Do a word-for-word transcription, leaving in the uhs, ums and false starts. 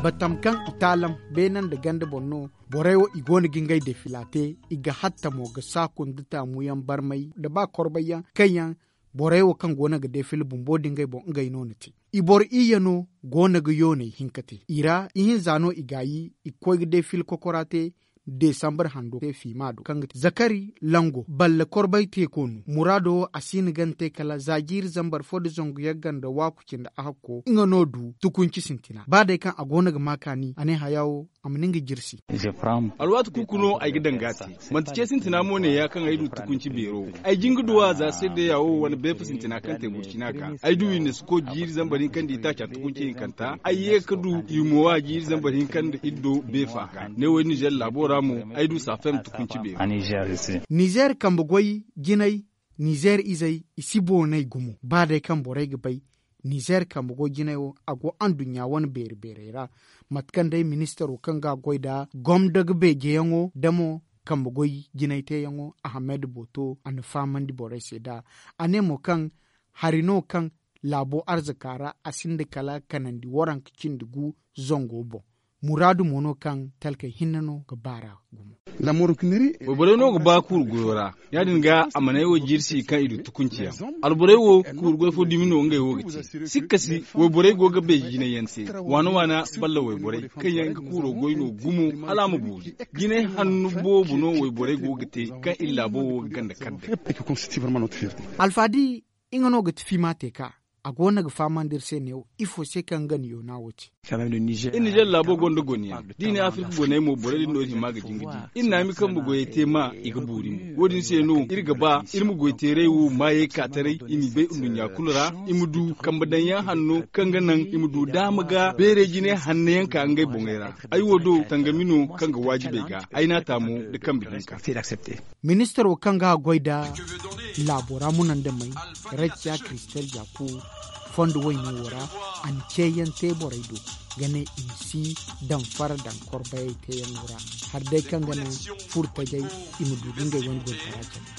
Batam kaŋ i taalam beene nda ganda boŋ no. Borey wo i go no ga ngey defila te. I ga hatta mo ga saaku nda taamu yaŋ barmay nda ba korbay yaŋ kaŋ yaŋ borey wo kaŋ go no ga defila bumbo nda ngey boŋ ngey no na te. I boro iyye no go no ga yooney hinka te i ra ihinza no i gaayi i ga koy ga defila kokora te. Desambar hando te fiima do kaŋ ga te zakari lango balle korbay teeko no muraado wo a si hin ga ni te kala za jiiri zambar fo nda zangu yagga nda waaku cindi a hakko nga no du tukunci sintina ba day kaŋ a go no ga ma kaani a ne haya wo a ma ni nga jirsi. Alwaati kuuku no ay ga daŋ ga a te. Manti ce sintina mo ne ya kaŋ ay du tukunci beero. Ay jin ga duw'a za seedeya wo wane beefa sintina kaŋ te burcina ga ay du i na si ko jiiri zambar hinka nda itaaca tukunci hinkanta ay ye ga du i mo wa jiiri zambar hinka nda iddo beefa ga ne wo ay nizer laabo ra mo. Ay du saafem tukunci beero. Nizer kambe goy jinay. Nizer izey i si boonay gumo ba day kaŋ borey ga bay. Nizer kambe goy jinay wo a go anduɲɲa wane beeri beerey ra. Mate kaŋ day ministaro kaŋ ga a goy nda gomdo ga beejeyaŋo nda mo kambe goy jinay teeyaŋo ahamed booto a na fahamandi borey se nd'a. A ne mo kaŋ hari no kaŋ laabo arzaka ra a sinda kala kanandi waranka cindi gu zango boŋ. Muraadu mo no kaŋ talkey hinne no ga baar'a gumo. Wayborey no ga ba kuuru goyo ra. Ya- din ga a mana ay wo jirsi kaŋ i du tukunci yaŋ. Alborey wo kuuru goy fo dumi no ngey wo ga te. Sikka si wayborey go ga beeji jinay yaŋ te. Waana waana balla wayborey kaŋ yaŋ ga kuuro goy no gumo hala a ma boori. Jinay hanno boobo no wayborey go ga te kaŋ iri laabo wo ga ganda kar day. Alfaadi nga no ga ti fiima te ka a go no ga fahamandi iri se neewo ifo se kaŋ ga ni yoona wo te. Iri nizer laabo gonda goni yaŋ da i ne afirka goney mo borey din no iri hima ga jin ga di. Iri na ay ma kambe goyey te ma i ga boori mo. Wo- din se no iri ga ba iri ma goyteerey wo maayey ka taray i m'i bay nduɲɲa kulu ra. I ma du kambe daŋ yaŋ hanno kaŋ ga naŋ i ma du daama ga beerey jine hanno yaŋ ka ngey boŋey ra. Ay wo do tangami no kaŋ ga waajibey ga ay n'a ta mo nda kambe hinka. Ministaro kaŋ ga a goy nda laabo ra munandamey rajja kristel jaku fondo wayne wo ra a na ceeyaŋ te borey do ga ne i ma si damfara daŋ korbayey teeyaŋo ra. Hari day kaŋ ga naŋ furtajey i ma du ga ngey wane goytara candi.